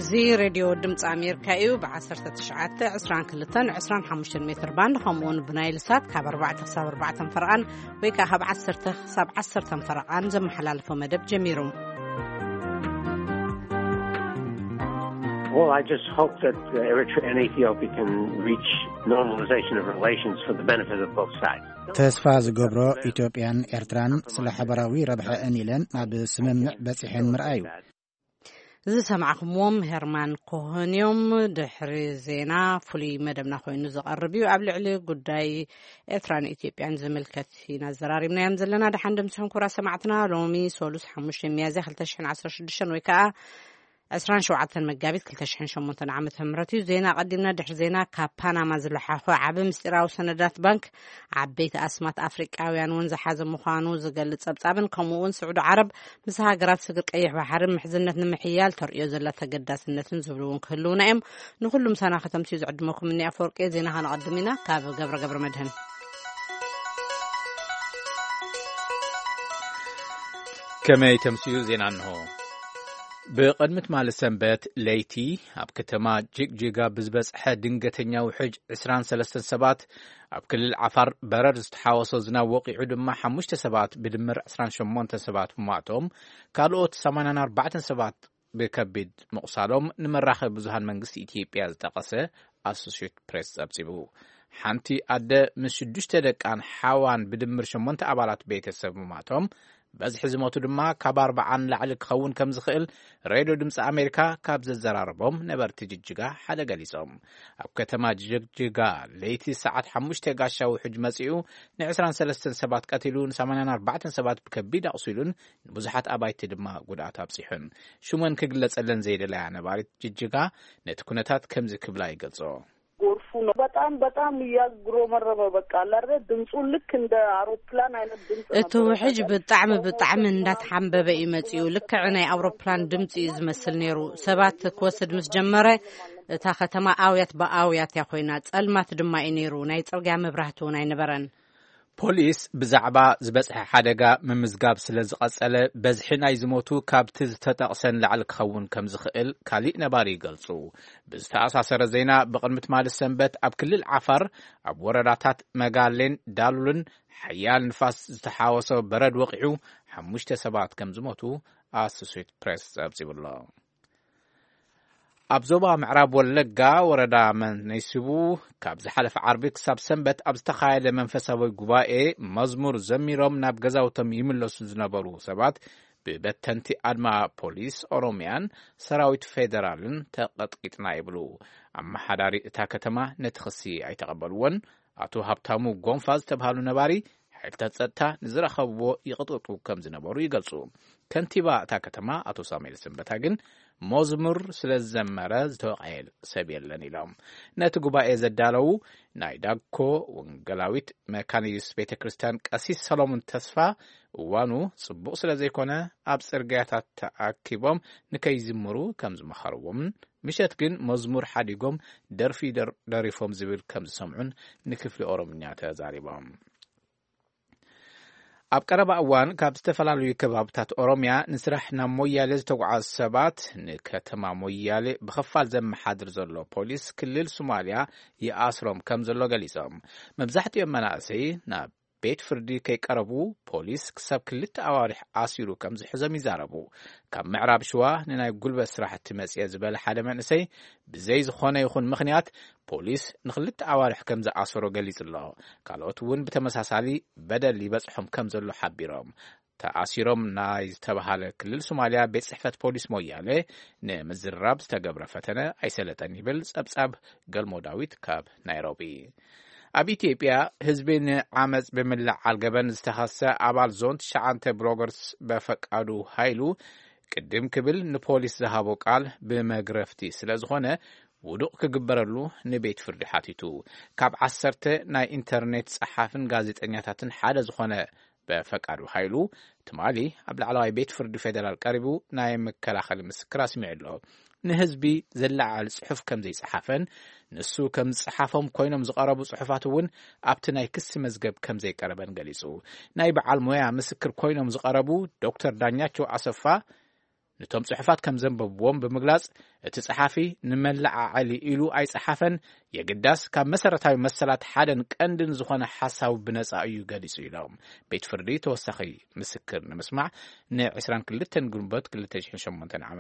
እዚ ሬድዮ ድምፂ ኣሜሪካ እዩ። ብ19፣ 22፣ 25 ሜትር ባንድ፣ ከምኡ እውን ብናይል ሳት ካብ ኣርባዕተ ክሳብ ኣርባዕተ ፈረቓን፣ ወይ ከዓ ካብ ዓሰርተ ክሳብ ዓሰርተ ፈረቓን ዘመሓላልፎ መደብ ጀሚሩ። Well, I just hope that, uh, Eritrea and Ethiopia can reach normalization of relations for the benefit of both sides. ተስፋ ዝገብሮ፣ ኢትዮጵያን ኤርትራን ስለ ሓበራዊ ረብሐአን ኢለን ናብ ስምምዕ በጺሐን ምርኣዩ። ዝሰማዕኩምዎም ሄርማን ኮሆን እዮም። ድሕሪ ዜና ፍሉይ መደብና ኮይኑ ዝቐርብ እዩ። ኣብ ልዕሊ ጉዳይ ኤርትራን ኢትዮጵያን ዝምልከት ኢና ዘራሪብናዮም ዘለና። ደሓን ደምስኹም ክቡራት ሰማዕትና። ሎሚ ሶሉስ ሓሙሽተ ሚያዝያ ክልተ ሽሕን ዓሰርተ ሽዱሽተን ወይ ከዓ ዕስራን ሸውዓተን መጋቢት ክልተ ሽሕን ሸሞንተን ዓመተ ምህረት እዩ። ዜና ቀዲምና፣ ድሕሪ ዜና ካብ ፓናማ ዝለሓኾ ዓቢ ምስጢራዊ ሰነዳት ባንክ ዓበይቲ ኣስማት ኣፍሪቃውያን እውን ዝሓዘ ምዃኑ ዝገልጽ ጸብጻብን፣ ከምኡ እውን ስዑዲ ዓረብ ምስ ሃገራት ስግር ቀይሕ ባሕሪ ምሕዝነት ንምሕያል ተርእዮ ዘላ ተገዳስነትን ዝብሉ እውን ክህልውና እዮም። ንኹሉ ምሳና ከተምስዩ ዝዕድመኩም እኒ ኣፈወርቂ። ዜና ከነቐድም ኢና ካብ ገብረ ገብረ መድህን። ከመይ ተምስዩ ዜና እንሆ። ብቕድሚ ትማሊ ሰንበት ለይቲ ኣብ ከተማ ጅግጅጋ ብዝበጽሐ ድንገተኛ ውሕጅ ዕስራን ሰለስተን ሰባት፣ ኣብ ክልል ዓፋር በረድ ዝተሓወሶ ዝናብ ወቒዑ ድማ ሓሙሽተ ሰባት፣ ብድምር ዕስራን ሸሞንተን ሰባት ምሟቶም፣ ካልኦት ሰማንያን ኣርባዕተን ሰባት ብከቢድ ምቑሳሎም ንመራኸቢ ብዙሃን መንግስቲ ኢትዮጵያ ዝጠቐሰ ኣሶሼትድ ፕሬስ ጸብጺቡ። ሓንቲ ኣደ ምስ ሽዱሽተ ደቃን ሓዋን ብድምር ሸሞንተ ኣባላት ቤተሰብ ምሟቶም፣ በዝሒ ዝሞቱ ድማ ካብ ኣርባዓ ንላዕሊ ክኸውን ከም ዝኽእል ሬድዮ ድምፂ ኣሜሪካ ካብ ዘዘራረቦም ነበርቲ ጅጅጋ ሓደ ገሊጾም። ኣብ ከተማ ጅግጅጋ ለይቲ ሰዓት ሓሙሽተ ጋሻ ውሕጅ መጺኡ ን ዕስራን ሰለስተን ሰባት ቀቲሉ፣ ን ሰማንያን ኣርባዕተን ሰባት ብከቢድ ኣቑሲሉን ንብዙሓት ኣባይቲ ድማ ጉድኣት ኣብጺሑን። ሽመን ክግለጸለን ዘይደለያ ነባሪት ጅጅጋ ነቲ ኩነታት ከምዚ ክብላ ይገልጾ። ጎርፉ ነው። በጣም፣ በጣም እያጉረመረመ፣ በቃ፣ አለ አይደል? ድምፁ ልክ እንደ አውሮፕላን አይነት ድምፅ እቲ ነበር። ውሕጅ በቃ ብጣዕሚ፣ ብጣዕሚ እንዳተሓንበበ እዩ መፂኡ። ልክዕ ናይ ኣውሮፕላን ድምፂ እዩ ዝመስል ነይሩ። ሰባት ክወስድ ምስ ጀመረ፣ እታ ከተማ ኣውያት ብኣውያት እያ ኮይና። ጸልማት ድማ እዩ ነይሩ። ናይ ጽርግያ መብራህቲ እውን ኣይነበረን። ፖሊስ ብዛዕባ ዝበጽሐ ሓደጋ ምምዝጋብ ስለ ዝቐጸለ፣ በዝሒ ናይ ዝሞቱ ካብቲ ዝተጠቕሰ ንላዕሊ ክኸውን ከም ዝኽእል ካሊእ ነባሪ ይገልጹ። ብዝተኣሳሰረ ዜና፣ ብቕድሚ ትማሊ ሰንበት ኣብ ክልል ዓፋር፣ ኣብ ወረዳታት መጋሌን ዳሉልን ሓያል ንፋስ ዝተሓወሶ በረድ ወቒዑ፣ ሓሙሽተ ሰባት ከም ዝሞቱ ኣሶሴትድ ፕሬስ ጸብጺቡ ኣሎ። ኣብ ዞባ ምዕራብ ወለጋ፣ ወረዳ መነይስቡ፣ ካብ ዝሓለፈ ዓርቢ ክሳብ ሰንበት ኣብ ዝተኻየደ መንፈሳዊ ጉባኤ፣ መዝሙር ዘሚሮም ናብ ገዛውቶም ይምለሱ ዝነበሩ ሰባት፣ ብበተንቲ ኣድማ ፖሊስ ኦሮሚያን ሰራዊት ፌደራልን ተቐጥቂጥና ይብሉ። ኣመሓዳሪ እታ ከተማ ነቲ ክሲ ኣይተቐበልዎን። ኣቶ ሃብታሙ ጎንፋ ዝተብሃሉ ነባሪ፣ ሓይልታት ጸጥታ ንዝረኸብዎ ይቕጥቅጡ ከም ዝነበሩ ይገልጹ። ከንቲባ እታ ከተማ ኣቶ ሳሙኤል ሰንበታ ግን፣ መዝሙር ስለ ዝዘመረ ዝተወቕዐ ሰብ የለን ኢሎም። ነቲ ጉባኤ ዘዳለዉ ናይ ዳኮ ወንጌላዊት መካነ ኢየሱስ ቤተ ክርስቲያን ቀሲስ ሰሎሞን ተስፋ፣ እዋኑ ጽቡቕ ስለ ዘይኮነ፣ ኣብ ጽርግያታት ተኣኪቦም ንከይዝምሩ ከም ዝመኸርዎምን፣ ምሸት ግን መዝሙር ሓዲጎም ደርፊ ደር-፣ ደሪፎም ዝብል ከም ዝሰምዑን ንክፍሊ ኦሮምኛ ተዛሪቦም። ኣብ ቀረባ እዋን ካብ ዝተፈላለዩ ከባብታት ኦሮምያ ንስራሕ ናብ ሞያሌ ዝተጓዓዙ ሰባት፣ ንከተማ ሞያሌ ብኸፋል ዘመሓድር ዘሎ ፖሊስ ክልል ሶማልያ ይኣስሮም ከም ዘሎ ገሊጾም። መብዛሕትኦም መናእሰይ ናብ ቤት ፍርዲ ከይቀረቡ ፖሊስ ክሳብ ክልተ ኣዋርሕ ኣሲሩ ከም ዝሕዞም ይዛረቡ። ካብ ምዕራብ ሽዋ ንናይ ጉልበት ስራሕቲ መጽየ ዝበለ ሓደ መንእሰይ፣ ብዘይ ዝኾነ ይኹን ምኽንያት ፖሊስ ንክልተ ኣዋርሕ ከም ዝኣሰሮ ገሊጹ ኣሎ። ካልኦት እውን ብተመሳሳሊ በደል ይበጽሖም ከም ዘሎ ሓቢሮም። ተኣሲሮም ናይ ዝተባሃለ ክልል ሶማልያ ቤት ጽሕፈት ፖሊስ ሞያሌ ንምዝራብ ዝተገብረ ፈተነ ኣይሰለጠን ይብል ጸብጻብ ገልሞ ዳዊት ካብ ናይሮቢ። ኣብ ኢትዮጵያ ህዝቢ ንዓመጽ ብምልዓል ገበን ዝተኸሰ ኣባል ዞን ትሽዓተ ብሎገርስ በፈቃዱ ሃይሉ ቅድም ክብል ንፖሊስ ዝሃቦ ቃል ብመግረፍቲ ስለ ዝኾነ ውዱቕ ክግበረሉ ንቤት ፍርዲ ሓቲቱ። ካብ ዓሰርተ ናይ ኢንተርኔት ጸሓፍን ጋዜጠኛታትን ሓደ ዝኾነ በፈቃዱ ሃይሉ ትማሊ ኣብ ላዕለዋይ ቤት ፍርዲ ፌደራል ቀሪቡ ናይ መከላኸሊ ምስክር ኣስሚዑ ኣሎ። ንህዝቢ ዝለዓል ጽሑፍ ከም ዘይጸሓፈን ንሱ ከም ዝጸሓፎም ኮይኖም ዝቐረቡ ጽሑፋት እውን ኣብቲ ናይ ክሲ መዝገብ ከም ዘይቀረበን ገሊጹ። ናይ በዓል ሞያ ምስክር ኮይኖም ዝቐረቡ ዶክተር ዳኛቸው ኣሰፋ ነቶም ጽሑፋት ከም ዘንበብዎም ብምግላጽ፣ እቲ ጸሓፊ ንመለዓዓሊ ኢሉ ኣይጸሓፈን፣ የግዳስ ካብ መሰረታዊ መሰላት ሓደን ቀንድን ዝኾነ ሓሳቡ ብነጻ እዩ ገሊጹ ኢሎም። ቤት ፍርዲ ተወሳኺ ምስክር ንምስማዕ ን22 ግንቦት 2008 ዓ.ም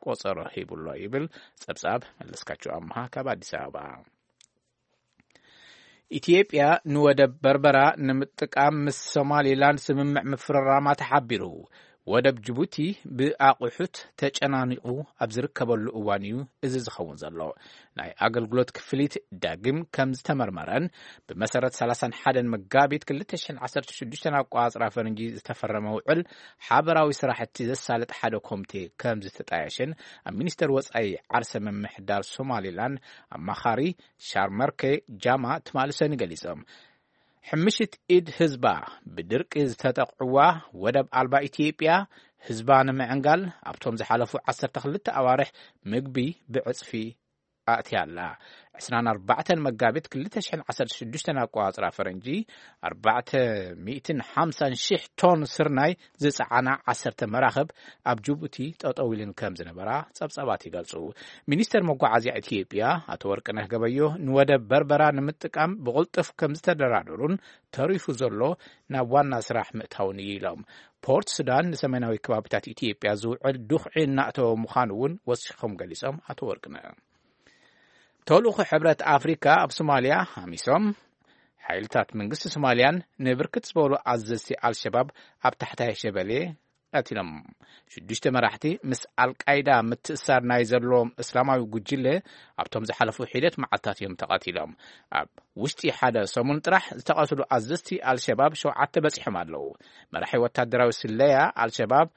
ቆጸሮ ሂቡሎ ይብል ጸብጻብ መለስካቸው ኣምሃ ካብ ኣዲስ ኣበባ። ኢትዮጵያ ንወደብ በርበራ ንምጥቃም ምስ ሶማሊላንድ ስምምዕ ምፍርራማ ተሓቢሩ። ወደብ ጅቡቲ ብኣቑሑት ተጨናኒቑ ኣብ ዝርከበሉ እዋን እዩ እዚ ዝኸውን ዘሎ። ናይ ኣገልግሎት ክፍሊት ዳግም ከም ዝተመርመረን ብመሰረት 31 መጋቢት 2016 ኣቋጽራ ፈረንጂ ዝተፈረመ ውዕል ሓበራዊ ስራሕቲ ዘሳልጥ ሓደ ኮሚቴ ከም ዝተጣየሸን ኣብ ሚኒስተር ወጻኢ ዓርሰ ምምሕዳር ሶማሊላንድ ኣማኻሪ ሻርመርኬ ጃማ ትማሊ ሰኒ ገሊጾም። ሕምሽት ኢድ ህዝባ ብድርቂ ዝተጠቕዕዋ ወደብ ኣልባ ኢትዮጵያ ህዝባ ንምዕንጋል ኣብቶም ዝሓለፉ 12 ኣዋርሕ ምግቢ ብዕጽፊ ኣእትያ ኣላ። 24 መጋቢት 2016 ኣቋጽራ ፈረንጂ 450,000 ቶን ስርናይ ዝጸዓና 10 መራኽብ ኣብ ጅቡቲ ጠጠው ኢለን ከም ዝነበራ ጸብጻባት ይገልጹ። ሚኒስተር መጓዓዝያ ኢትዮጵያ ኣቶ ወርቅነህ ገበዮ ንወደብ በርበራ ንምጥቃም ብቕልጥፍ ከም ዝተደራደሩን ተሪፉ ዘሎ ናብ ዋና ስራሕ ምእታውን እዩ ኢሎም። ፖርት ሱዳን ንሰሜናዊ ከባቢታት ኢትዮጵያ ዝውዕል ዱኽዒ እናእተወ ምዃኑ እውን ወሲኾም ገሊጾም ኣቶ ወርቅነህ። ተልእኾ ሕብረት ኣፍሪካ ኣብ ሶማልያ ሃሚሶም ሓይልታት መንግስቲ ሶማልያን ንብርክት ዝበሉ ኣዘዝቲ ኣልሸባብ ኣብ ታሕታይ ሸበሌ ቀቲሎም። ሽዱሽተ መራሕቲ ምስ ኣልቃይዳ ምትእሳር ናይ ዘለዎም እስላማዊ ጉጅለ ኣብቶም ዝሓለፉ ሒደት መዓልታት እዮም ተቐቲሎም። ኣብ ውሽጢ ሓደ ሰሙን ጥራሕ ዝተቐትሉ ኣዘዝቲ ኣልሸባብ ሸውዓተ በጺሖም ኣለዉ። መራሒ ወታደራዊ ስለያ ኣልሸባብ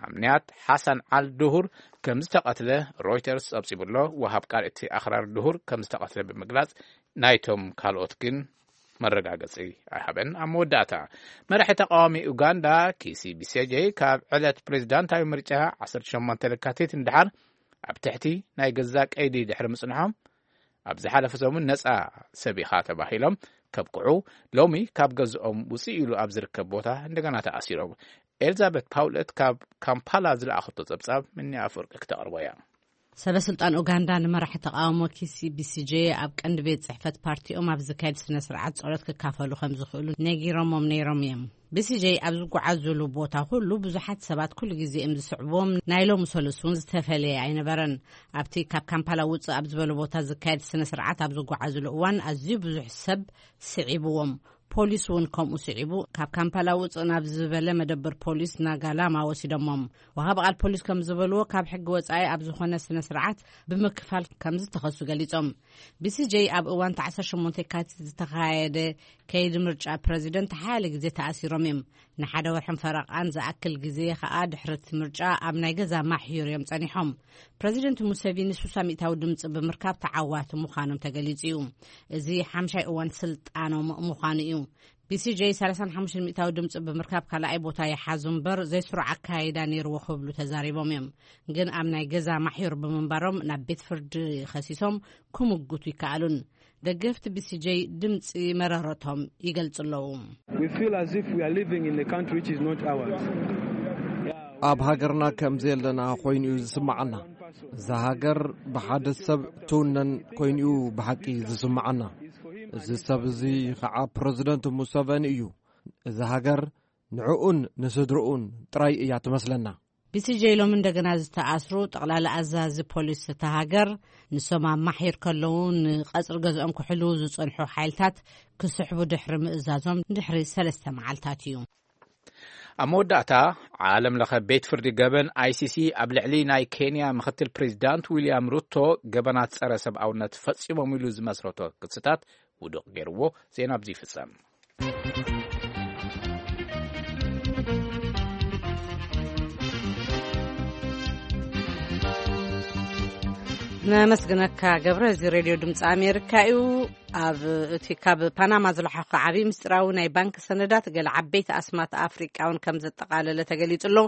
ኣምንያት ሓሳን ዓል ድሁር ከም ዝተቐትለ ሮይተርስ ጸብጺቡ ኣሎ። ወሃብ ቃል እቲ ኣኽራሪ ድሁር ከም ዝተቐትለ ብምግላጽ ናይቶም ካልኦት ግን መረጋገጺ ኣይሃበን። ኣብ መወዳእታ መራሒ ተቃዋሚ ኡጋንዳ ኪሲ ቢሴጄ ካብ ዕለት ፕሬዚዳንታዊ ምርጫ 18 ለካቲት ንድሓር ኣብ ትሕቲ ናይ ገዛ ቀይዲ ድሕሪ ምጽንሖም ኣብ ዝሓለፈ ሰሙን ነጻ ሰብ ኢኻ ተባሂሎም ከብቅዑ ሎሚ ካብ ገዝኦም ውጽእ ኢሉ ኣብ ዝርከብ ቦታ እንደገና ተኣሲሮም። ኤልዛቤት ፓውለት ካብ ካምፓላ ዝለኣኸቶ ጸብጻብ ምኒ ኣፈወርቂ ክተቕርቦ እያ። ሰበ ስልጣን ኡጋንዳ ንመራሒ ተቃውሞ ኪሲ ቢሲጄ ኣብ ቀንዲ ቤት ጽሕፈት ፓርቲኦም ኣብ ዝካየድ ስነ ስርዓት ጸሎት ክካፈሉ ከም ዝኽእሉ ነጊሮሞም ነይሮም እዮም። ቢሲጄ ኣብ ዝጓዓዙሉ ቦታ ኩሉ ብዙሓት ሰባት ኩሉ ግዜ እዮም ዝስዕብዎም። ናይ ሎሚ ሰሉስ እውን ዝተፈለየ ኣይነበረን። ኣብቲ ካብ ካምፓላ ውጽእ ኣብ ዝበለ ቦታ ዝካየድ ስነ ስርዓት ኣብ ዝጓዓዙሉ እዋን ኣዝዩ ብዙሕ ሰብ ስዒብዎም። ፖሊስ እውን ከምኡ ስዒቡ ካብ ካምፓላ ውጽእ ናብ ዝበለ መደበር ፖሊስ ናጋላማ ወሲዶሞም። ወሃቢ ቃል ፖሊስ ከም ዝበልዎ ካብ ሕጊ ወጻኢ ኣብ ዝኾነ ስነ ስርዓት ብምክፋል ከም ዝተኸሱ ገሊጾም። ቢሲጄ ኣብ እዋን 18 የካቲት ዝተኻየደ ከይዲ ምርጫ ፕረዚደንት ሓያለ ግዜ ተኣሲሮም እዮም። ንሓደ ወርሕን ፈረቓን ዝኣክል ግዜ ኸኣ ድሕሪ እቲ ምርጫ ኣብ ናይ ገዛ ማሕዩር እዮም ጸኒሖም። ፕረዚደንት ሙሴቪኒ 60 ሚእታዊ ድምጺ ብምርካብ ተዓዋቲ ምዃኖም ተገሊጹ እዩ። እዚ ሓምሻይ እዋን ስልጣኖም ምዃኑ እዩ። ቢሲጄ 35 ሚእታዊ ድምጺ ብምርካብ ካልኣይ ቦታ ይሓዙ እምበር ዘይስሩዕ ኣካይዳ ነይርዎ ክብሉ ተዛሪቦም እዮም። ግን ኣብ ናይ ገዛ ማሕዩር ብምንባሮም ናብ ቤት ፍርዲ ከሲሶም ክምጉቱ ይከኣሉን። ደገፍቲ ቢሲጄ ድምጺ መረረቶም ይገልጹ ኣለዉ። We feel as if we are living in a country which is not ours. ኣብ ሃገርና ከም ዘየለና ኮይኑ እዩ ዝስምዓና። እዛ ሃገር ብሓደ ሰብ ትውነን ኮይኑ እዩ ብሓቂ ዝስምዓና። እዚ ሰብ እዚ ኸዓ ፕረዚደንት ሙሰቨኒ እዩ። እዛ ሃገር ንዕኡን ንስድርኡን ጥራይ እያ ትመስለና። ቢሲጄ ሎሚ እንደገና ዝተኣስሩ ጠቕላላ ኣዛዚ ፖሊስ እታ ሃገር ንሶም ኣብ ማሕዩር ከለዉ ንቐጽሪ ገዝኦም ክሕልዉ ዝጸንሑ ሓይልታት ክስሕቡ ድሕሪ ምእዛዞም ድሕሪ ሰለስተ መዓልታት እዩ። ኣብ መወዳእታ ዓለም ለኸ ቤት ፍርዲ ገበን ኣይሲሲ ኣብ ልዕሊ ናይ ኬንያ ምክትል ፕሬዚዳንት ዊልያም ሩቶ ገበናት ጸረ ሰብኣውነት ፈጺሞም ኢሉ ዝመስረቶ ክስታት ውዱቕ ገይርዎ። ዜና ኣብዚ ይፍጸም። ነመስግነካ ገብረ። እዚ ሬድዮ ድምፂ ኣሜሪካ እዩ። ኣብ እቲ ካብ ፓናማ ዝለሓኸ ዓብዪ ምስጢራዊ ናይ ባንክ ሰነዳት ገለ ዓበይቲ ኣስማት ኣፍሪቃውን ከም ዘጠቓለለ ተገሊጹ ኣሎ።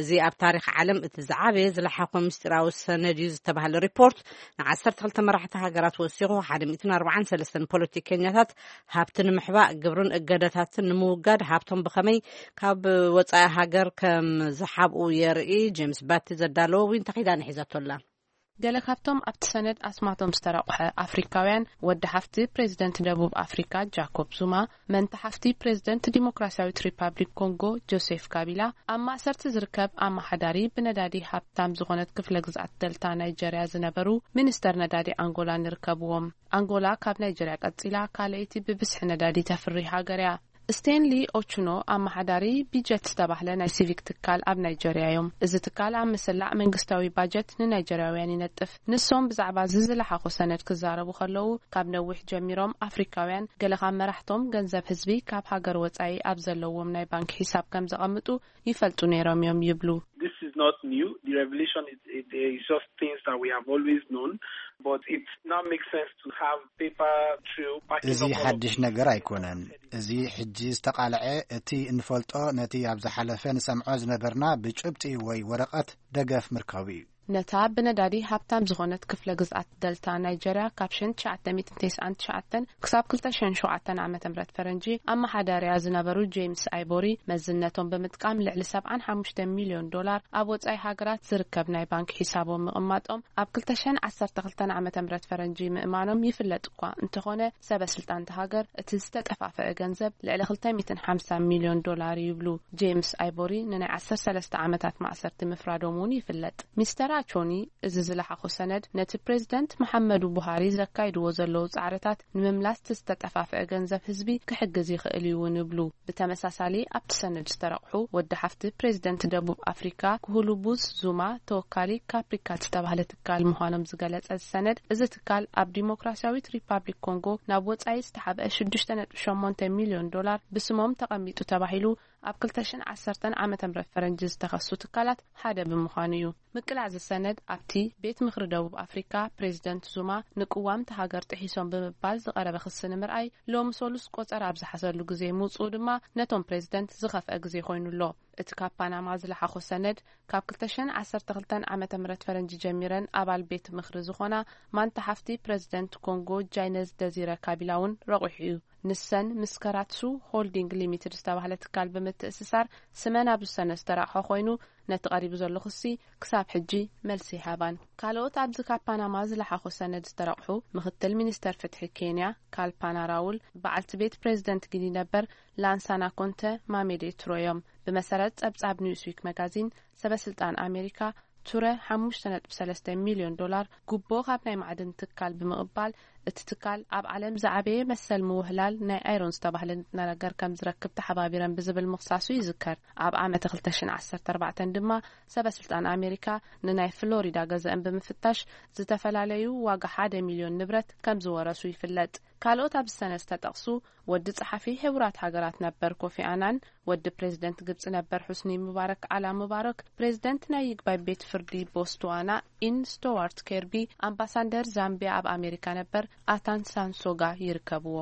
እዚ ኣብ ታሪኽ ዓለም እቲ ዝዓበየ ዝለሓኾ ምስጢራዊ ሰነድ እዩ ዝተባህለ ሪፖርት፣ ን12 መራሕቲ ሃገራት ወሲኹ፣ ሓደ ሚእትን ኣርባዓን ሰለስተን ፖለቲከኛታት ሃብቲ ንምሕባእ፣ ግብርን እገዳታትን ንምውጋድ፣ ሃብቶም ብኸመይ ካብ ወጻኢ ሃገር ከም ዝሓብኡ የርኢ። ጄምስ ባቲ ዘዳለዎ ዊን ተኺዳ ንሒዘቶ ኣላ። ገለ ካብቶም ኣብቲ ሰነድ ኣስማቶም ዝተረቑሐ ኣፍሪካውያን፣ ወዲ ሓፍቲ ፕሬዚደንት ደቡብ ኣፍሪካ ጃኮብ ዙማ፣ መንታ ሓፍቲ ፕሬዚደንት ዲሞክራሲያዊት ሪፓብሊክ ኮንጎ ጆሴፍ ካቢላ፣ ኣብ ማእሰርቲ ዝርከብ ኣመሓዳሪ ብነዳዲ ሃብታም ዝኾነት ክፍለ ግዝኣት ደልታ ናይጀርያ ዝነበሩ ሚኒስተር ነዳዲ ኣንጎላ ንርከብዎም። ኣንጎላ ካብ ናይጀርያ ቀጺላ ካልኣይቲ ብብዝሒ ነዳዲ ተፍሪ ሃገር እያ። ስቴንሊ ኦቹኖ፣ ኣመሓዳሪ ቢጀት ዝተባህለ ናይ ሲቪክ ትካል ኣብ ናይጀርያ እዮም። እዚ ትካል ኣብ ምስላዕ መንግስታዊ ባጀት ንናይጀርያውያን ይነጥፍ። ንሶም ብዛዕባ እዚ ዝለሓኹ ሰነድ ክዛረቡ ከለዉ፣ ካብ ነዊሕ ጀሚሮም ኣፍሪካውያን ገለ ካብ መራሕቶም ገንዘብ ህዝቢ ካብ ሃገር ወጻኢ ኣብ ዘለዎም ናይ ባንክ ሒሳብ ከም ዘቐምጡ ይፈልጡ ነይሮም እዮም ይብሉ። This is not new. The revelation is, is, is just things that we have always known, but it now makes sense to have paper trail backing እዚ up all of ሓድሽ this ነገር ኣይኮነን። እዚ ሕጂ ዝተቓልዐ፣ እቲ እንፈልጦ ነቲ ኣብ ዝሓለፈ ንሰምዖ ዝነበርና ብጭብጢ ወይ ወረቐት ደገፍ ምርካቡ እዩ። ነታ ብነዳዲ ሃብታም ዝኾነት ክፍለ ግዝኣት ደልታ ናይጀርያ ካብ ሸንት ትሽዓተ ሚእትን ተስዓን ትሽዓተን ክሳብ ክልተ ሽሕን ሸውዓተን ዓመተ ምህረት ፈረንጂ ኣመሓዳሪያ ዝነበሩ ጄምስ ኣይቦሪ፣ መዝነቶም ብምጥቃም ልዕሊ ሰብዓን ሓሙሽተ ሚልዮን ዶላር ኣብ ወጻኢ ሃገራት ዝርከብ ናይ ባንክ ሒሳቦም ምቕማጦም ኣብ ክልተ ሽሕን ዓሰርተ ክልተን ዓመተ ምህረት ፈረንጂ ምእማኖም ይፍለጥ እኳ እንተኾነ፣ ሰበ ስልጣን እታ ሃገር እቲ ዝተጠፋፈአ ገንዘብ ልዕሊ ክልተ ሚእትን ሓምሳን ሚልዮን ዶላር እዩ ይብሉ። ጄምስ ኣይቦሪ ንናይ ዓሰርተ ሰለስተ ዓመታት ማእሰርቲ ምፍራዶም እውን ይፍለጥ። ሚስተር ኣቾኒ፣ እዚ ዝለሓኾ ሰነድ ነቲ ፕሬዚደንት መሓመዱ ቡሃሪ ዘካይድዎ ዘለዉ ጻዕርታት ንምምላስ እቲ ዝተጠፋፍአ ገንዘብ ህዝቢ ክሕግዝ ይኽእል እዩ እውን ይብሉ። ብተመሳሳሊ ኣብቲ ሰነድ ዝተረቑሑ ወዲ ሓፍቲ ፕሬዚደንት ደቡብ ኣፍሪካ ኩሁሉቡዝ ዙማ፣ ተወካሊ ካፕሪካ ዝተባህለ ትካል ምዃኖም ዝገለጸ እዚ ሰነድ፣ እዚ ትካል ኣብ ዲሞክራሲያዊት ሪፓብሊክ ኮንጎ ናብ ወጻኢ ዝተሓብአ ሽዱሽተ ነጥቢ ሸሞንተ ሚልዮን ዶላር ብስሞም ተቐሚጡ ተባሂሉ ኣብ ክልተ ሽሕን ዓሰርተን ዓመተ ምህረት ፈረንጂ ዝተኸሱ ትካላት ሓደ ብምዃኑ እዩ። ምቅላዕ እዚ ሰነድ ኣብቲ ቤት ምኽሪ ደቡብ ኣፍሪካ ፕሬዚደንት ዙማ ንቅዋም እታ ሃገር ጥሒሶም ብምባል ዝቐረበ ክሲ ንምርኣይ ሎሚ ሰሉስ ቆጸራ ኣብ ዝሓዘሉ ግዜ ምውፅኡ ድማ ነቶም ፕሬዚደንት ዝኸፍአ ግዜ ኮይኑ ኣሎ። እቲ ካብ ፓናማ ዝለሓኾ ሰነድ ካብ ክልተ ሽሕን ዓሰርተ ክልተን ዓመተ ምህረት ፈረንጂ ጀሚረን ኣባል ቤት ምኽሪ ዝኾና ማንታ ሓፍቲ ፕሬዚደንት ኮንጎ ጃይነዝ ደዚረ ካቢላ እውን ረቑሑ እዩ። ንሰን ምስ ከራትሱ ሆልዲንግ ሊሚትድ ዝተባህለ ትካል ብምትእስሳር ስመን ኣብ ዝሰነ ዝተረቕሖ ኮይኑ፣ ነቲ ቀሪቡ ዘሎ ክሲ ክሳብ ሕጂ መልሲ ይሃባን። ካልኦት ኣብዚ ካብ ፓናማ ዝለሓኾ ሰነድ ዝተረቕሑ ምክትል ሚኒስተር ፍትሒ ኬንያ ካልፓና ራውል፣ በዓልቲ ቤት ፕሬዚደንት ጊኒ ነበር ላንሳና ኮንተ ማሜዴ ቱሮ እዮም። ብመሰረት ጸብጻብ ኒውስዊክ መጋዚን፣ ሰበ ስልጣን ኣሜሪካ ቱረ ሓሙሽተ ነጥቢ ሰለስተ ሚልዮን ዶላር ጉቦ ካብ ናይ ማዕድን ትካል ብምቕባል፣ እቲ ትካል ኣብ ዓለም ዝዓበየ መሰል ምውህላል ናይ ኣይሮን ዝተባህለ ንጥረ ነገር ከም ዝረክብ ተሓባቢረን ብዝብል ምኽሳሱ ይዝከር። ኣብ ዓመተ ክልተ ሽሕን ዓሰርተ ኣርባዕተን ድማ ሰበ ስልጣን ኣሜሪካ ንናይ ፍሎሪዳ ገዛእን ብምፍታሽ ዝተፈላለዩ ዋጋ ሓደ ሚልዮን ንብረት ከም ዝወረሱ ይፍለጥ። ካልኦት ኣብዚ ሰነድ ዝተጠቕሱ ወዲ ጸሓፊ ሕቡራት ሃገራት ነበር ኮፊ ኣናን፣ ወዲ ፕሬዚደንት ግብጺ ነበር ሑስኒ ሙባረክ ኣላ ሙባረክ፣ ፕሬዚደንት ናይ ይግባይ ቤት ፍርዲ ቦትስዋና ኢን ስቶዋርት ኬርቢ፣ ኣምባሳደር ዛምቢያ ኣብ ኣሜሪካ ነበር ኣታን ሳንሶጋ ይርከብዎ።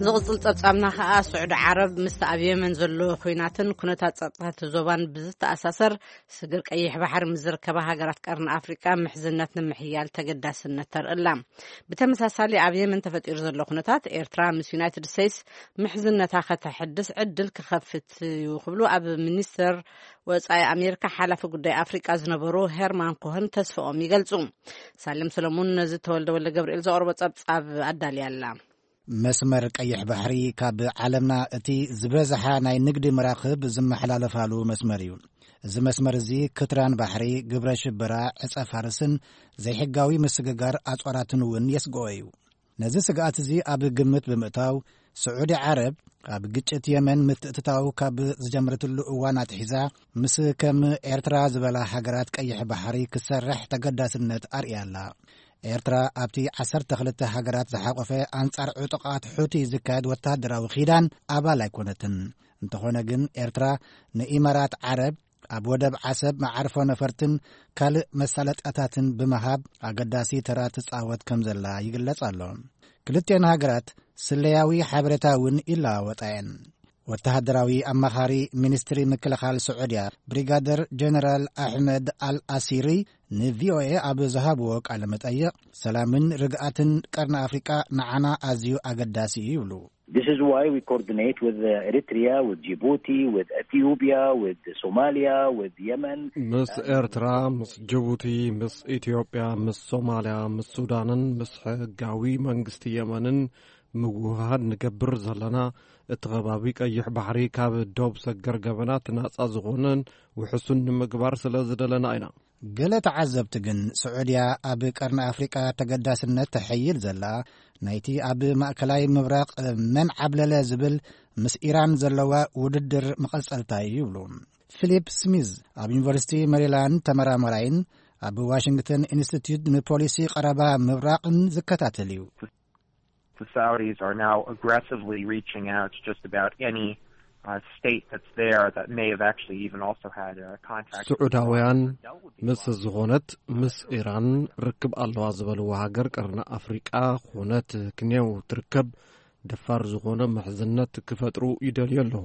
ዝቕጽል ጸብጻብና ከኣ፣ ስዑዲ ዓረብ ምስቲ ኣብ የመን ዘሎ ኲናትን ኩነታት ጸጥታቲ ዞባን ብዝተኣሳሰር ስግር ቀይሕ ባሕሪ ምስ ዝርከባ ሃገራት ቀርኒ ኣፍሪቃ ምሕዝነት ንምሕያል ተገዳስነት ተርእላ። ብተመሳሳሊ ኣብ የመን ተፈጢሩ ዘሎ ኩነታት ኤርትራ ምስ ዩናይትድ ስቴትስ ምሕዝነታ ከተሐድስ ዕድል ክኸፍት እዩ ክብሉ ኣብ ሚኒስተር ወጻኢ ኣሜሪካ ሓላፊ ጉዳይ ኣፍሪቃ ዝነበሩ ሄርማን ኮህን ተስፋኦም ይገልጹ። ሳሌም ሰለሙን ነዚ ተወልደ ወልደ ገብርኤል ዘቕርቦ ጸብጻብ ኣዳልያ ኣላ። መስመር ቀይሕ ባሕሪ ካብ ዓለምና እቲ ዝበዝሓ ናይ ንግዲ መራኽብ ዝመሓላለፋሉ መስመር እዩ። እዚ መስመር እዚ ክትራን ባሕሪ፣ ግብረ ሽበራ፣ ዕጸ ፋርስን ዘይሕጋዊ ምስግጋር ኣጽዋራትን እውን የስግኦ እዩ። ነዚ ስግኣት እዚ ኣብ ግምት ብምእታው፣ ስዑዲ ዓረብ ኣብ ግጭት የመን ምትእትታው ካብ ዝጀመረትሉ እዋን ኣትሒዛ፣ ምስ ከም ኤርትራ ዝበላ ሃገራት ቀይሕ ባሕሪ ክሰርሕ ተገዳስነት ኣርእያ ኣላ። ኤርትራ ኣብቲ ዓሰርተ ክልተ ሃገራት ዝሓቆፈ ኣንጻር ዕጡቓት ሑቲ ዝካየድ ወተሃደራዊ ኪዳን ኣባል ኣይኮነትን። እንተኾነ ግን፣ ኤርትራ ንኢማራት ዓረብ ኣብ ወደብ ዓሰብ መዓርፎ ነፈርትን ካልእ መሳለጥያታትን ብምሃብ ኣገዳሲ ተራ ትጻወት ከም ዘላ ይግለጽ ኣሎ። ክልቲኤን ሃገራት ስለያዊ ሓበሬታ እውን ይለዋወጣ እየን። ወተሃደራዊ ኣማኻሪ ሚኒስትሪ ምክልኻል ስዑድያ ብሪጋደር ጀነራል ኣሕመድ ኣል ኣሲሪ ንቪኦኤ ኣብ ዝሃብዎ ቃለ መጠይቕ፣ ሰላምን ርግኣትን ቀርኒ ኣፍሪቃ ንዓና ኣዝዩ ኣገዳሲ እዩ ይብሉ። This is why we coordinate with uh, Eritrea, with Djibouti, with Ethiopia, with Somalia, with Yemen. ምስ ኤርትራ፣ ምስ ጅቡቲ፣ ምስ ኢትዮጵያ፣ ምስ ሶማልያ፣ ምስ ሱዳንን ምስ ሕጋዊ መንግስቲ የመንን ምውህሃድ ንገብር ዘለና፣ እቲ ከባቢ ቀይሕ ባሕሪ ካብ ዶብ ሰገር ገበናት ናጻ ዝኾነን ውሕሱን ንምግባር ስለ ዝደለና ኢና። ገለ ተዓዘብቲ ግን፣ ስዑድያ ኣብ ቀርኒ ኣፍሪቃ ተገዳስነት ተሐይል ዘላ፣ ናይቲ ኣብ ማእከላይ ምብራቕ መን ዓብለለ ዝብል ምስ ኢራን ዘለዋ ውድድር መቐጸልታ እዩ ይብሉ። ፊሊፕ ስሚዝ ኣብ ዩኒቨርሲቲ ሜሪላንድ ተመራማራይን ኣብ ዋሽንግተን ኢንስቲትዩት ንፖሊሲ ቀረባ ምብራቕን ዝከታተል እዩ። The Saudis are now aggressively reaching out to just about any uh, state that's there that may have actually even also had a contact. ስዑዳውያን ምስ ዝኾነት ምስ ኢራን ርክብ ኣለዋ ዝበልዎ ሃገር ቀርኒ ኣፍሪቃ ኾነት ክንየው ትርከብ ደፋር ዝኾነ ምሕዝነት ክፈጥሩ ይደልዩ ኣለዉ።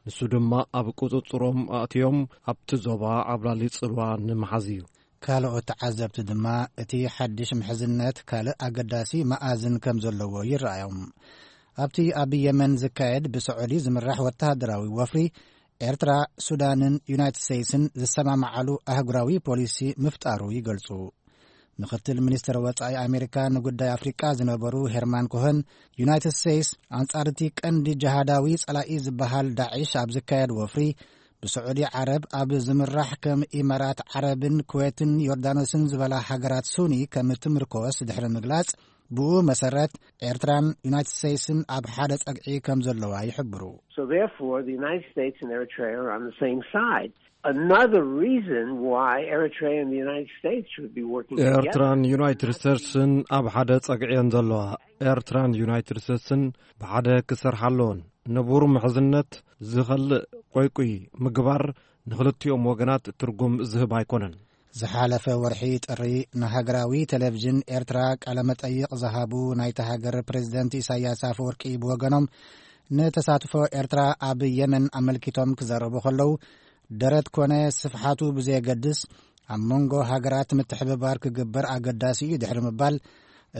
ንሱ ድማ ኣብ ቁጽጽሮም ኣእትዮም ኣብቲ ዞባ ዓብላሊ ጽልዋ ንምሓዝ እዩ። ካልኦት ተዓዘብቲ ድማ እቲ ሓድሽ ምሕዝነት ካልእ ኣገዳሲ መኣዝን ከም ዘለዎ ይረኣዮም። ኣብቲ ኣብ የመን ዝካየድ ብስዑዲ ዝምራሕ ወተሃደራዊ ወፍሪ፣ ኤርትራ፣ ሱዳንን ዩናይትድ ስቴትስን ዝሰማማዓሉ ኣህጉራዊ ፖሊሲ ምፍጣሩ ይገልጹ። ምኽትል ሚኒስትር ወጻኢ ኣሜሪካ ንጉዳይ ኣፍሪቃ ዝነበሩ ሄርማን ኮኸን፣ ዩናይትድ ስቴትስ ኣንጻር እቲ ቀንዲ ጅሃዳዊ ጸላኢ ዝበሃል ዳዒሽ ኣብ ዝካየድ ወፍሪ ብስዑዲ ዓረብ ኣብ ዝምራሕ ከም ኢማራት ዓረብን ኩዌትን ዮርዳኖስን ዝበላ ሃገራት ሱኒ ከም እትምርኮስ ድሕሪ ምግላጽ፣ ብኡ መሰረት ኤርትራን ዩናይትድ ስቴትስን ኣብ ሓደ ጸግዒ ከም ዘለዋ ይሕብሩ። So therefore, the United States and Eritrea are on the same side. Another reason why Eritrea and the United States should be working together. ኤርትራን ዩናይትድ ስቴትስን ኣብ ሓደ ጸግዒ እየን ዘለዋ። ኤርትራን ዩናይትድ ስቴትስን ብሓደ ክሰርሓ ኣለዎን። ንቡር ምሕዝነት ዝኸልእ ቆይቁይ ምግባር ንኽልቲኦም ወገናት ትርጉም ዝህብ ኣይኮነን። ዝሓለፈ ወርሒ ጥሪ ንሃገራዊ ቴሌቪዥን ኤርትራ ቃለ መጠይቕ ዝሃቡ ናይቲ ሃገር ፕሬዝደንት ኢሳያስ ኣፈወርቂ ብወገኖም፣ ንተሳትፎ ኤርትራ ኣብ የመን ኣመልኪቶም ክዛረቡ ከለዉ፣ ደረት ኮነ ስፍሓቱ ብዘየገድስ ኣብ መንጎ ሃገራት ምትሕብባር ክግበር ኣገዳሲ እዩ ድሕሪ ምባል፣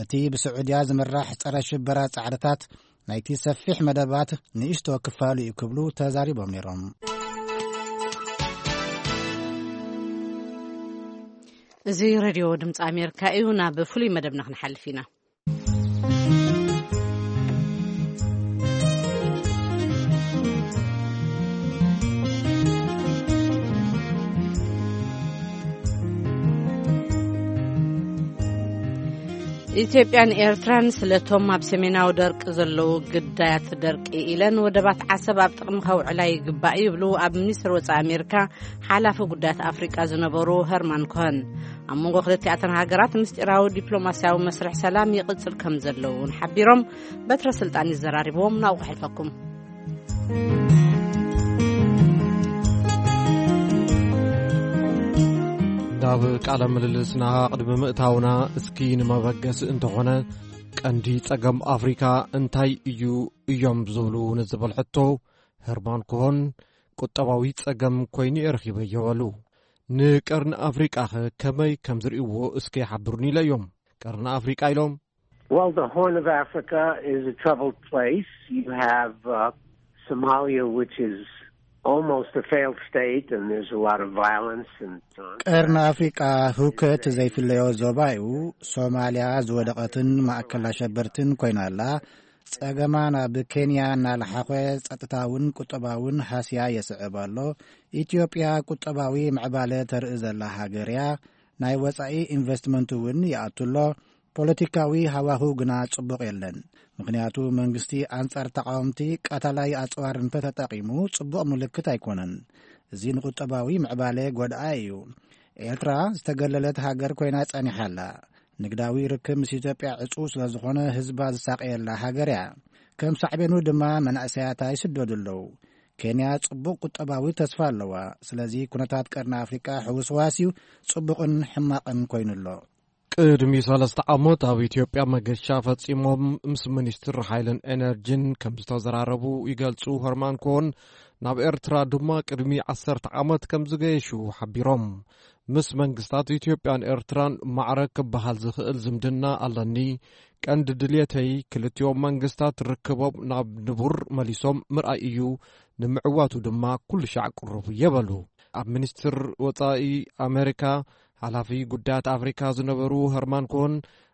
እቲ ብስዑድያ ዝምራሕ ጸረ ሽበራ ጻዕርታት ናይቲ ሰፊሕ መደባት ንእሽቶ ክፋሉ እዩ ክብሉ ተዛሪቦም ነይሮም። እዚ ሬድዮ ድምፂ ኣሜሪካ እዩ። ናብ ፍሉይ መደብና ክንሓልፍ ኢና። ኢትዮጵያን ኤርትራን ስለቶም ኣብ ሰሜናዊ ደርቂ ዘለዉ ግዳያት ደርቂ ኢለን ወደባት ዓሰብ ኣብ ጥቕሚ ከውዕላ ይግባእ ይብሉ ኣብ ሚኒስትር ወጻኢ ኣሜሪካ ሓላፊ ጉዳያት ኣፍሪቃ ዝነበሩ ሀርማን ኮሀን። ኣብ መንጎ ክልቲኣተን ሃገራት ምስጢራዊ ዲፕሎማስያዊ መስርሕ ሰላም ይቕጽል ከም ዘለዉ እውን ሓቢሮም። በትረ ስልጣን ይዘራርብዎም ናብኡ ክሕልፈኩም። ናብ ቃለ ምልልስና ቅድሚ ምእታውና እስኪ ንመበገሲ እንተኾነ ቀንዲ ጸገም ኣፍሪካ እንታይ እዩ እዮም ዝብሉ ንዝብል ሕቶ፣ ሄርማን ኮሆን ቁጠባዊ ጸገም ኮይኑ እየ ረኺበዮ በሉ። ንቀርኒ ኣፍሪቃኸ ከመይ ከም ዝርእይዎ እስከ ይሓብሩኒ ኢለ እዮም። ቀርኒ ኣፍሪቃ ኢሎም። Well, the Horn of Africa is a troubled place. You have uh, Somalia, which is almost a failed state, and there's a lot of violence and so on. ቀርኒ ኣፍሪቃ ህውከት ዘይፍለዮ ዞባ እዩ። ሶማልያ ዝወደቐትን ማእከል ኣሸበርትን ኮይና ኣላ። ጸገማ ናብ ኬንያ እናለሓኾ፣ ጸጥታውን ቁጠባውን ሃስያ የስዕብ ኣሎ። ኢትዮጵያ ቁጠባዊ ምዕባለ ተርኢ ዘላ ሃገር እያ። ናይ ወጻኢ ኢንቨስትመንት እውን ይኣቱ ኣሎ። ፖለቲካዊ ሃዋህው ግና ጽቡቕ የለን። ምኽንያቱ መንግስቲ ኣንጻር ተቓወምቲ ቀታላይ ኣጽዋር እንተተጠቒሙ ጽቡቕ ምልክት ኣይኮነን። እዚ ንቁጠባዊ ምዕባለ ጎድኣ እዩ። ኤርትራ ዝተገለለት ሃገር ኮይና ጸኒሓ ኣላ። ንግዳዊ ርክብ ምስ ኢትዮጵያ ዕጹው ስለ ዝኾነ ህዝባ ዝሳቐየላ ሃገር እያ። ከም ሳዕቤኑ ድማ መናእሰያታ ይስደዱ ኣለዉ። ኬንያ ጽቡቕ ቁጠባዊ ተስፋ ኣለዋ። ስለዚ ኩነታት ቀርኒ ኣፍሪቃ ሕውስዋስ እዩ፣ ጽቡቕን ሕማቕን ኮይኑ ኣሎ። ቅድሚ ሰለስተ ዓመት ኣብ ኢትዮጵያ መገሻ ፈጺሞም ምስ ሚኒስትር ሓይልን ኤነርጂን ከም ዝተዘራረቡ ይገልጹ። ሆርማን ኮን ናብ ኤርትራ ድማ ቅድሚ ዓሰርተ ዓመት ከም ዝገየሹ ሓቢሮም። ምስ መንግስታት ኢትዮጵያን ኤርትራን ማዕረ ክበሃል ዝኽእል ዝምድና ኣለኒ። ቀንዲ ድልየተይ ክልቲኦም መንግስታት ርክቦም ናብ ንቡር መሊሶም ምርኣይ እዩ። ንምዕዋቱ ድማ ኩሉ ሻዕ ቅሩብ እየ በሉ። ኣብ ሚኒስትር ወጻኢ ኣሜሪካ ሓላፊ ጉዳያት ኣፍሪካ ዝነበሩ ሀርማን ኮን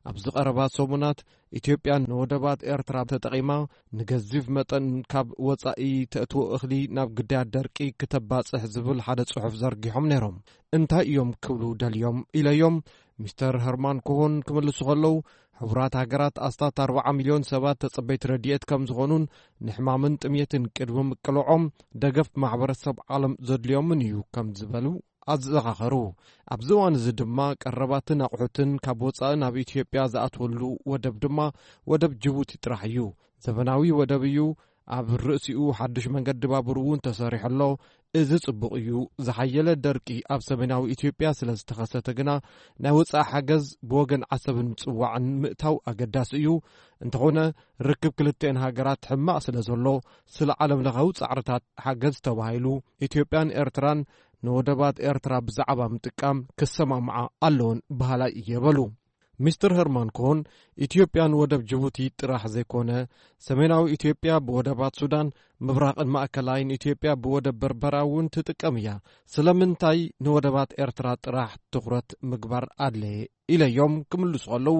ኣብዚ ቀረባ ሰሙናት ኢትዮጵያ ንወደባት ኤርትራ ተጠቒማ ንገዚፍ መጠን ካብ ወጻኢ ተእትዎ እኽሊ ናብ ግዳያት ደርቂ ክተባጽሕ ዝብል ሓደ ጽሑፍ ዘርጊሖም ነይሮም። እንታይ እዮም ክብሉ ደልዮም ኢለዮም። ሚስተር ሀርማን ኮሆን ክምልሱ ከለዉ፣ ሕቡራት ሃገራት ኣስታት ኣርባዓ ሚልዮን ሰባት ተጸበይቲ ረድኤት ከም ዝኾኑን ንሕማምን ጥምየትን ቅድሚ ምቅልዖም ደገፍ ማሕበረሰብ ዓለም ዘድልዮምን እዩ ከም ዝበሉ ኣዘኻኸሩ። ኣብዚ እዋን እዚ ድማ ቀረባትን ኣቑሑትን ካብ ወጻኢ ናብ ኢትዮጵያ ዝኣትወሉ ወደብ ድማ ወደብ ጅቡቲ ጥራሕ እዩ። ዘበናዊ ወደብ እዩ። ኣብ ርእሲኡ ሓድሽ መንገዲ ባቡር እውን ተሰሪሑ ኣሎ። እዚ ጽቡቕ እዩ። ዝሓየለ ደርቂ ኣብ ሰሜናዊ ኢትዮጵያ ስለ ዝተኸሰተ ግና ናይ ወጻኢ ሓገዝ ብወገን ዓሰብን ምጽዋዕን ምእታው ኣገዳሲ እዩ። እንተኾነ ርክብ ክልተን ሃገራት ሕማቕ ስለ ዘሎ ስለ ዓለም ለኻዊ ጻዕርታት ሓገዝ ተባሂሉ ኢትዮጵያን ኤርትራን ንወደባት ኤርትራ ብዛዕባ ምጥቃም ክሰማምዓ ኣለዎን በሃላይ እየ በሉ። ሚስተር ሄርማን ኮን ኢትዮጵያን ወደብ ጅቡቲ ጥራሕ ዘይኮነ ሰሜናዊ ኢትዮጵያ ብወደባት ሱዳን ምብራቕን ማእከላይን ኢትዮጵያ ብወደብ በርበራ እውን ትጥቀም እያ። ስለምንታይ ንወደባት ኤርትራ ጥራሕ ትኹረት ምግባር ኣድለየ ኢለዮም ክምልሱ ከለዉ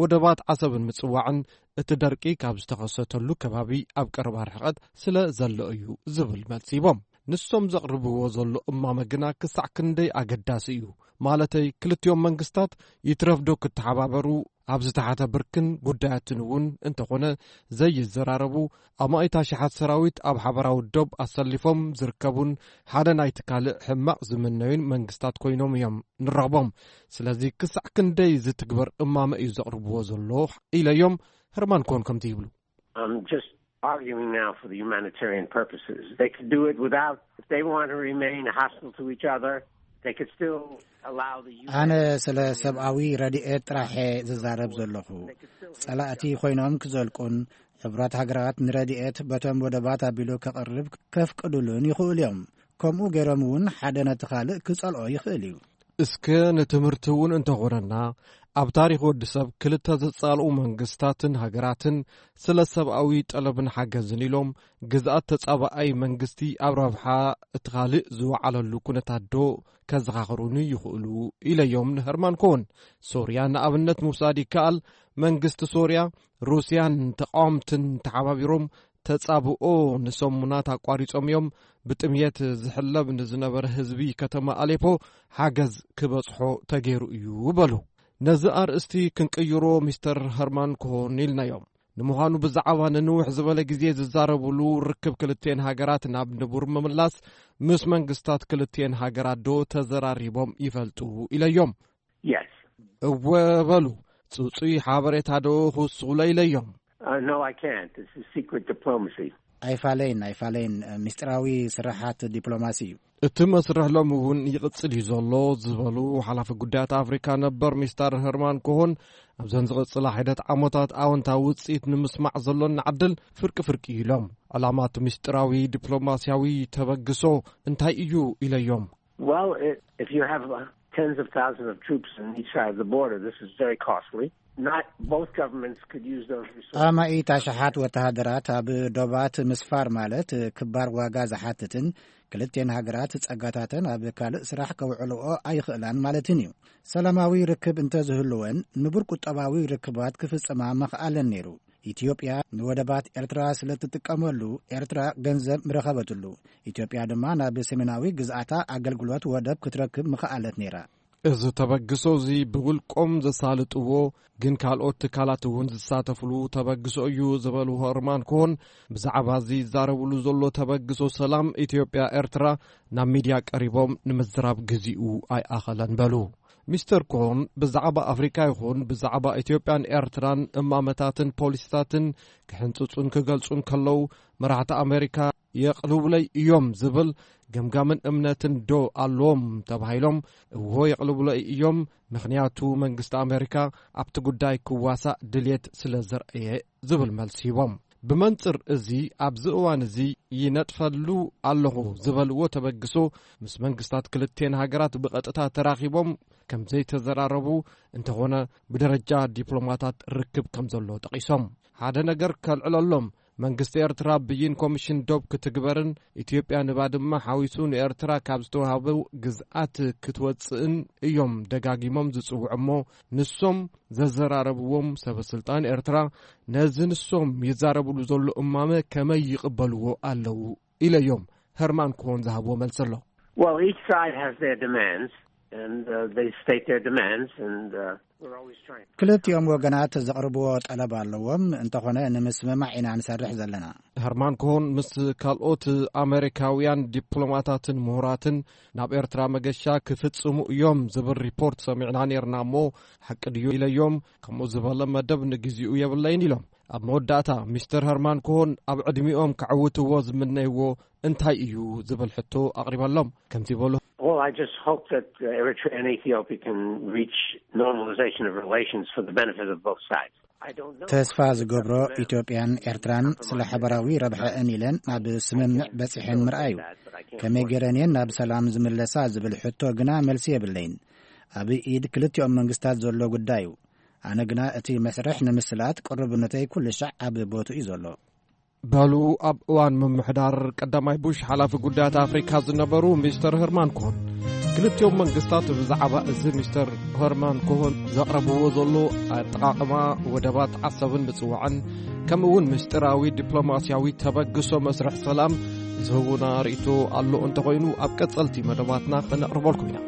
ወደባት ዓሰብን ምጽዋዕን እቲ ደርቂ ካብ ዝተኸሰተሉ ከባቢ ኣብ ቀረባ ርሕቐት ስለ ዘሎ እዩ ዝብል መልሲ ሂቦም። ንሶም ዘቕርብዎ ዘሎ እማመ ግና ክሳዕ ክንደይ ኣገዳሲ እዩ። ማለተይ ክልቲኦም መንግስታት ይትረፍዶ ክተሓባበሩ ኣብ ዝተሓተ ብርክን ጉዳያትን እውን እንተኾነ ዘይዘራረቡ ኣማኢት ኣሽሓት ሰራዊት ኣብ ሓበራዊ ዶብ ኣሰሊፎም ዝርከቡን ሓደ ናይቲ ካልእ ሕማቕ ዝምነዩን መንግስታት ኮይኖም እዮም ንረኽቦም። ስለዚ ክሳዕ ክንደይ ዝትግበር እማመ እዩ ዘቕርብዎ ዘሎ ኢለዮም። ህርማን ኮን ከምቲ ይብሉ። I'm just arguing now for the humanitarian purposes. They could do it without, if they want to remain hostile to each other, they could still allow the U N. ኣነ ስለ ሰብኣዊ ረድኤት ጥራሐ ዝዛረብ ዘለኹ። ጸላእቲ ኮይኖም ክዘልቁን ሕቡራት ሃገራት ንረድኤት በቶም ወደባት ኣቢሉ ከቕርብ ከፍቅዱሉን ይኽእሉ እዮም። ከምኡ ገይሮም እውን ሓደ ነቲ ካልእ ክጸልኦ ይኽእል እዩ። እስከ ንትምህርቲ እውን እንተኾነና ኣብ ታሪኽ ወዲ ሰብ ክልተ ዘጻልኡ መንግስታትን ሃገራትን ስለ ሰብኣዊ ጠለብን ሓገዝን ኢሎም ግዝኣት ተጻባኣይ መንግስቲ ኣብ ረብሓ እቲ ካልእ ዝወዓለሉ ኩነታት ዶ ከዘኻኽሩኒ ይኽእሉ ኢለዮም ንህርማን ኮን። ሶርያ ንኣብነት ምውሳድ ይከኣል። መንግስቲ ሶርያ ሩስያን ተቃወምትን ተሓባቢሮም ተጻብኦ ንሰሙናት ኣቋሪጾም እዮም። ብጥምየት ዝሕለብ ንዝነበረ ህዝቢ ከተማ ኣሌፖ ሓገዝ ክበጽሖ ተገይሩ እዩ በሉ። ነዚ ኣርእስቲ ክንቅይሮ ሚስተር ሀርማን ኮሆን ኢልናዮም። ንምዃኑ ብዛዕባ ንንውሕ ዝበለ ግዜ ዝዛረብሉ ርክብ ክልቴን ሃገራት ናብ ንቡር ምምላስ ምስ መንግስታት ክልቴን ሃገራት ዶ ተዘራሪቦም ይፈልጡ ኢለዮም። Yes. እወ በሉ። ጽጹይ ሓበሬታ ዶ ክውስኹለይ ኢለዮም። Uh, no, I can't. This is secret diplomacy. ኣይፋለይን ኣይፋለይን፣ ምስጢራዊ ስራሓት ዲፕሎማሲ እዩ። እቲ መስርሕ ሎሚ እውን ይቕጽል እዩ ዘሎ ዝበሉ ሓላፊ ጉዳያት ኣፍሪካ ነበር ሚስተር ሄርማን ኮሆን ኣብዘን ዝቕጽላ ሒደት ዓመታት ኣወንታዊ ውፅኢት ንምስማዕ ዘሎና ዕድል ፍርቂ ፍርቂ እዩ ኢሎም። ዕላማ እቲ ምስጢራዊ ዲፕሎማሲያዊ ተበግሶ እንታይ እዩ ኢለዮም። Well, it, if you have uh, tens of thousands of troops on each side of the border, this is very costly. Not both governments could use those resources. ኣማኢት ኣሽሓት ወተሃደራት ኣብ ዶባት ምስፋር ማለት ክባር ዋጋ ዝሓትትን ክልቴን ሃገራት ጸጋታተን ኣብ ካልእ ስራሕ ከውዕልኦ ኣይኽእላን ማለትን እዩ። ሰላማዊ ርክብ እንተዝህልወን ንቡር ቁጠባዊ ርክባት ክፍጽማ መኽኣለን ነይሩ። ኢትዮጵያ ንወደባት ኤርትራ ስለ ትጥቀመሉ ኤርትራ ገንዘብ ምረኸበትሉ። ኢትዮጵያ ድማ ናብ ሰሜናዊ ግዝኣታ ኣገልግሎት ወደብ ክትረክብ ምኽኣለት ነይራ። እዚ ተበግሶ እዚ ብውልቆም ዘሳልጥዎ ግን ካልኦት ትካላት እውን ዝሳተፍሉ ተበግሶ እዩ ዝበሉ ሆርማን ኮሆን ብዛዕባ እዚ ይዛረብሉ ዘሎ ተበግሶ ሰላም ኢትዮጵያ ኤርትራ ናብ ሚድያ ቀሪቦም ንምዝራብ ግዚኡ ኣይኣኸለን በሉ። ሚስተር ኮሆን ብዛዕባ ኣፍሪካ ይኹን ብዛዕባ ኢትዮጵያን ኤርትራን እማመታትን ፖሊሲታትን ክሕንፅፁን ክገልፁን ከለዉ መራሕቲ ኣሜሪካ የቕልቡለይ እዮም ዝብል ገምጋምን እምነትን ዶ ኣለዎም ተባሂሎም፣ እዎ የቕልቡለይ እዮም፣ ምኽንያቱ መንግስቲ ኣሜሪካ ኣብቲ ጉዳይ ክዋሳእ ድልየት ስለ ዘርእየ ዝብል መልሲ ሂቦም። ብመንጽር እዚ ኣብዚ እዋን እዚ ይነጥፈሉ ኣለኹ ዝበልዎ ተበግሶ ምስ መንግስታት ክልቴን ሃገራት ብቐጥታ ተራኺቦም ከም ዘይተዘራረቡ እንተኾነ ብደረጃ ዲፕሎማታት ርክብ ከም ዘሎ ጠቒሶም። ሓደ ነገር ከልዕለሎም፣ መንግስቲ ኤርትራ ብይን ኮሚሽን ዶብ ክትግበርን ኢትዮጵያ ንባድመ ሓዊሱ ንኤርትራ ካብ ዝተዋህቡ ግዝኣት ክትወጽእን እዮም ደጋጊሞም ዝጽውዑ እሞ ንሶም ዘዘራረብዎም ሰበ ስልጣን ኤርትራ ነዚ ንሶም ይዛረብሉ ዘሎ እማመ ከመይ ይቕበልዎ ኣለዉ ኢለዮም። ሄርማን ኮሆን ዝሃብዎ መልሲ ኣሎ። Well, each side has their demands, and uh, they state their demands, and uh, we're always trying. ክልቲኦም ወገናት ዘቕርብዎ ጠለብ ኣለዎም። እንተኾነ ንምስምማዕ ኢና ንሰርሕ ዘለና። ሄርማን ኮሆን ምስ ካልኦት ኣሜሪካውያን ዲፕሎማታትን ምሁራትን ናብ ኤርትራ መገሻ ክፍጽሙ እዮም ዝብል ሪፖርት ሰሚዕና ነርና እሞ ሓቂ ድዩ ኢለዮም። ከምኡ ዝበለ መደብ ንግዚኡ የብለይን ኢሎም። ኣብ መወዳእታ ሚስተር ሄርማን ኮሆን ኣብ ዕድሚኦም ከዕውትዎ ዝምነይዎ እንታይ እዩ ዝብል ሕቶ ኣቕሪበሎም። ከምዚ በሉ። Well, I just hope that uh, Eritrea and Ethiopia can reach normalization of relations for the benefit of both sides. I don't know. ተስፋ ዝገብሮ ኢትዮጵያን ኤርትራን ስለ ሓበራዊ ረብሐአን ኢለን ናብ ስምምዕ በጺሐን ምርኣዩ። ከመይ ገይረን እየን ናብ ሰላም ዝምለሳ ዝብል ሕቶ ግና መልሲ የብለይን። ኣብ ኢድ ክልቲኦም መንግስታት ዘሎ ጉዳይ እዩ። ኣነ ግና እቲ መስርሕ ንምስላጥ ቅሩብነተይ ኩሉ ሻዕ ኣብ ቦትኡ እዩ ዘሎ። በሉ ኣብ እዋን ምምሕዳር ቀዳማይ ቡሽ ሓላፊ ጉዳያት ኣፍሪካ ዝነበሩ ሚስተር ሄርማን ኮሆን። ክልቲኦም መንግስታት ብዛዕባ እዚ ሚስተር ሄርማን ኮሆን ዘቕረብዎ ዘሎ ኣጠቓቕማ ወደባት ዓሰብን ምጽዋዕን ከምኡ እውን ምስጢራዊ ዲፕሎማስያዊ ተበግሶ መስርሕ ሰላም ዝህቡና ርእይቶ ኣሎ እንተኾይኑ ኣብ ቀጸልቲ መደባትና ክነቕርበልኩም ኢና።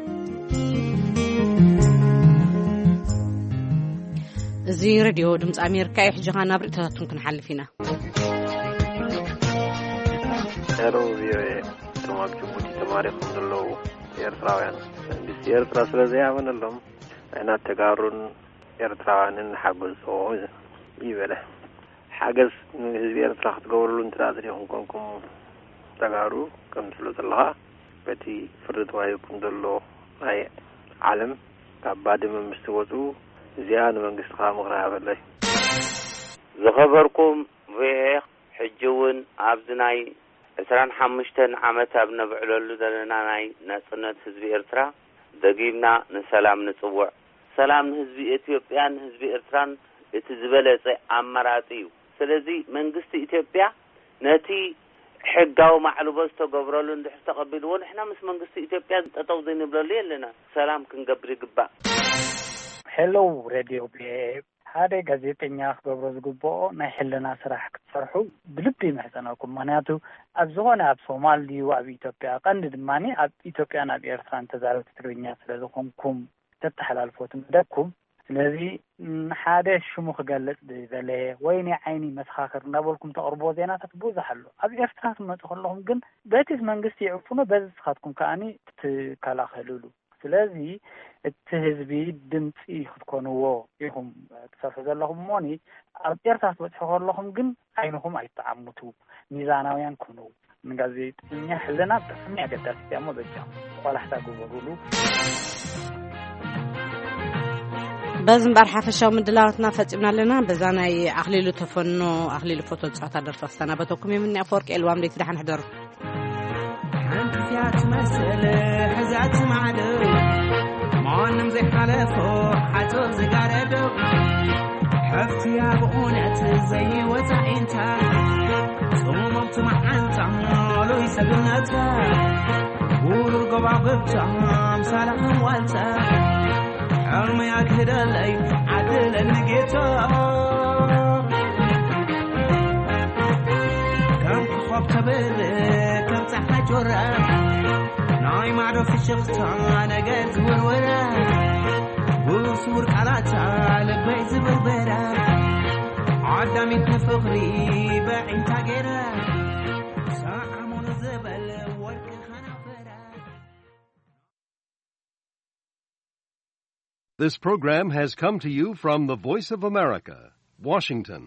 እዚ ሬድዮ ድምፂ ኣሜሪካ እዩ። ሕጂ ኸዓ ናብ ርእይቶታትኩም ክንሓልፍ ኢና። ሄሎ ቪኦኤ፣ እቶም ኣብ ጅቡቲ ተማሪኾም ዘለዉ ኤርትራውያን፣ መንግስቲ ኤርትራ ስለ ዘይኣመነሎም፣ ንሕና ተጋሩን ኤርትራውያንን ንሓግዞ ይበለ። ሓገዝ ንህዝቢ ኤርትራ ክትገብርሉ እንተ ደኣ ደሊኹም ኮንኩም ተጋሩ፣ ከም ትብሎ ዘለኻ፣ በቲ ፍርዲ ተዋሂብኩም ዘሎ ናይ ዓለም ካብ ባድመ ምስ ትወጹ፣ እዚኣ ንመንግስትኻ ምኽሪ ሃበለይ። ዝኸበርኩም ቪኦኤ፣ ሕጂ እውን ኣብዚ ናይ ዕስራን ሓሙሽተን ዓመት ኣብ ነብዕለሉ ዘለና ናይ ናጽነት ህዝቢ ኤርትራ፣ ደጊምና ንሰላም ንጽውዕ። ሰላም ንህዝቢ ኢትዮጵያን ንህዝቢ ኤርትራን እቲ ዝበለጸ ኣማራጺ እዩ። ስለዚ መንግስቲ ኢትዮጵያ ነቲ ሕጋዊ ማዕልቦ ዝተገብረሉ እንድሕር ተቐቢልዎ፣ ንሕና ምስ መንግስቲ ኢትዮጵያ ጠጠው ዘይንብለሉ የለና። ሰላም ክንገብር ይግባእ። ሄሎ ሬድዮ ቪኦኤ፣ ሓደ ጋዜጠኛ ክገብሮ ዝግብኦ ናይ ሕልና ስራሕ ክትሰርሑ ብልቢ ይምሕጸነኩም። ምኽንያቱ ኣብ ዝኾነ ኣብ ሶማል ድዩ ኣብ ኢትዮጵያ፣ ቀንዲ ድማ ኣብ ኢትዮጵያን ኣብ ኤርትራን ተዛረብቲ ትግርኛ ስለ ዝኾንኩም ተተሓላልፎ እቲ መደብኩም። ስለዚ ሓደ ሽሙ ክገልጽ ዝደለየ ወይ ናይ ዓይኒ መሰኻኽር እንዳበልኩም ተቕርብዎ ዜናታት ብዙሕ ኣሎ። ኣብ ኤርትራ ክትመጹ ከለኹም ግን በቲ መንግስቲ ይዕፍኖ፣ በዚ ንስኻትኩም ከኣኒ ትከላኸልሉ። ስለዚ እቲ ህዝቢ ድምፂ ክትኮንዎ ኢኹም ትሰርሑ ዘለኹም እሞኒ ኣብ ኤርትራ ክትበፅሑ ከለኹም ግን ዓይንኹም ኣይተዓምቱ፣ ሚዛናውያን ኩኑ። ንጋዜጠኛ ሕልና ብጣዕሚ ኣገዳሲት እያ እሞ በጃኹም ቆላሕታ ግበሩሉ። በዚ እምበኣር ሓፈሻዊ ምድላዋትና ፈፂምና ኣለና። በዛ ናይ ኣኽሊሉ ተፈኖ ኣኽሊሉ ፎቶ ዝፃወታ ደርፊ ክሰናበተኩም እየ። ምኒ ኣፈወርቂ ኤልዋም ለይቲ ደሓን ሕደሩ። ሓንቲ እያ ትመስል ሕዛት ማዕዶ ማንም ዘይሓለፎ ሓፁር ዝጋረዶ ሓፍትያ ብእውነት ዘይወፃኢንታ ጽሙምቲ መዓንታ ሉይ ሰብነታ ውሩር ጎባብብታ ኣምሳላ ዋልታ ሕልሚ ኣግህደለይ ዓድለኒ ጌታ ከም ኮኾብ ተብርህ ከም ፀሓይ ጮራ ናይ ማዕዶ ፍሽኽታ ነገር ዝውርወራ ብስውር ቃላታ ልበይ ዝብርበራ ዓዳሚት ንፍቕሪ በዒንታ ገይራ ሰዓሙን ዝበል ወርቂ ኸናፈራ። This program has come to you from the Voice of America, Washington.